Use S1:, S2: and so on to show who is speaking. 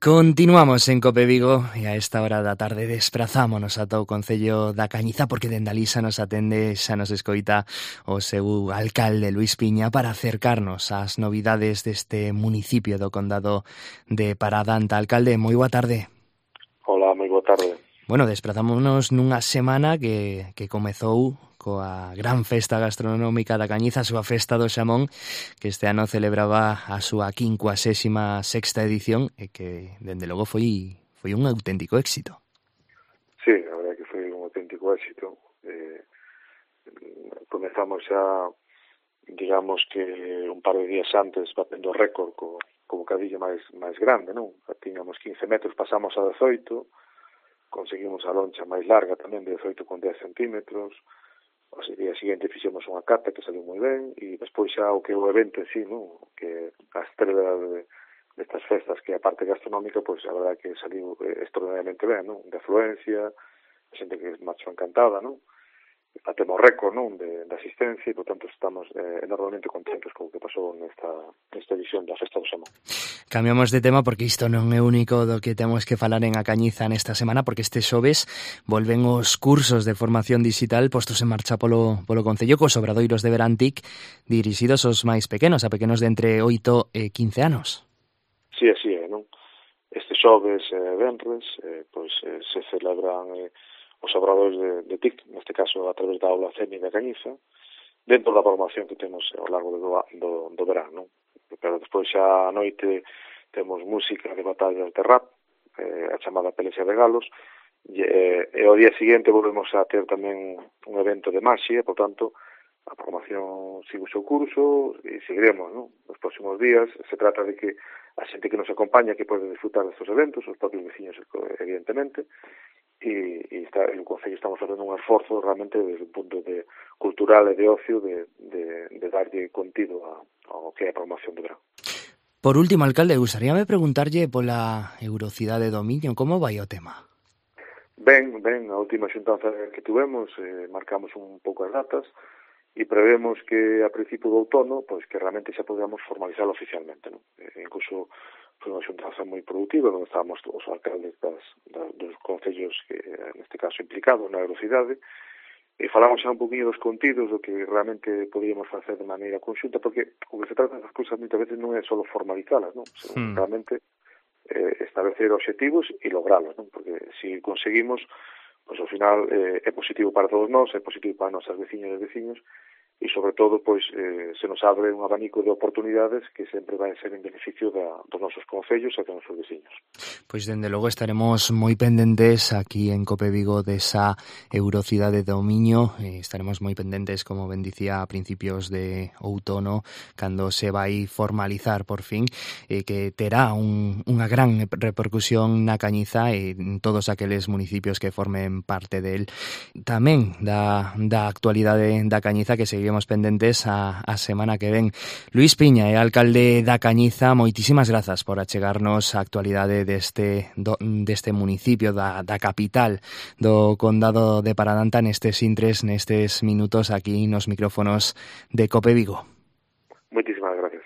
S1: Continuamos en Cope Vigo e a esta hora da tarde desprazámonos ata o Concello da Cañiza porque dende alí xa nos atende, xa nos escoita o seu alcalde Luís Piña para acercarnos ás novidades deste municipio do condado de Paradanta. Alcalde, moi boa tarde.
S2: Hola, moi boa tarde.
S1: Bueno, desprazámonos nunha semana que comezou coa gran festa gastronómica da Cañiza, a súa festa do xamón, que este ano celebraba a súa 56ª edición e que, dende logo, foi un auténtico éxito.
S2: Sí, a verdade que foi un auténtico éxito. Comezamos xa, digamos que un par de días antes, batendo récord co bocadillo máis grande, non? Tiñamos 15 metros, pasamos a 18, conseguimos a loncha máis larga tamén de 18 con 10 centímetros. O día seguinte fixemos unha cata que saliu moi ben e despois xa o que o evento en sí, non? Que a estrela destas festas, que a parte gastronómica, pois a verdade que saliu extraordinariamente ben, non? De afluencia, a xente que marchou encantada, non? Batemos récord, non? De asistencia e, por tanto, estamos enormemente contentos co que pasou nesta edición da Festa do Xamón.
S1: Cambiamos de tema porque isto non é único do que temos que falar en A Cañiza nesta semana, porque este xoves volven os cursos de formación digital postos en marcha polo Concello cos obradoiros de verán TIC dirixidos aos máis pequenos, a pequenos de entre 8 e 15 anos.
S2: Sí, así é, non? Este xoves e venres pois se celebran os obradoiros de TIC, neste caso a través da aula CEMI da Cañiza, dentro da formación que temos ao largo do verán, non? Pero despois xa a noite temos música de batallas de rap, a chamada Pelexa de Galos, e ao día seguinte volvemos a ter tamén un evento de maxia, por tanto, a formación sigue o seu curso e seguiremos, non? Nos próximos días se trata de que a xente que nos acompaña que pode disfrutar destes eventos, os propios veciños, evidentemente, e o Concello estamos facendo un esforzo realmente desde un punto de cultural e de ocio de darlle contido ao que é a promoción do verán.
S1: Por último, alcalde, gustaríame preguntarlle pola Eurocidade do Miño, como vai o tema?
S2: Ben, a última xuntanza que tuvemos marcamos un pouco as datas e prevemos que a principio do outono pois que realmente xa podamos formalizarlo oficialmente, non? Incluso foi unha xuntanza moi productiva, onde estábamos os alcaldes dos concellos que, neste caso, implicados na Eurocidade, e falamos xa un poquinho dos contidos do que realmente podíamos facer de maneira conxunta, porque o que se trata das cousas moitas veces non é só formalizalas, non? Senón realmente establecer obxectivos e logralos, non? Porque se conseguimos, pois ao final é positivo para todos nós, é positivo para as nosas veciñas e veciños, e sobre todo pois se nos abre un abanico de oportunidades que sempre vai ser en beneficio dos nosos concellos e dos nosos veciños.
S1: Pois dende logo estaremos moi pendentes aquí en Cope Vigo desa Eurocidade do Miño, estaremos moi pendentes, como ben dicía, a principios de outono, cando se vai formalizar por fin, que terá unha gran repercusión na Cañiza e en todos aqueles municipios que formen parte del. Tamén da actualidade da Cañiza que seguimos pendentes a semana que ven. Luís Piña, alcalde da Cañiza, moitísimas grazas por achegarnos a actualidade deste municipio, da capital do condado de Paradanta nestes intres, nestes minutos aquí nos micrófonos de Cope Vigo.
S2: Moitísimas gracias.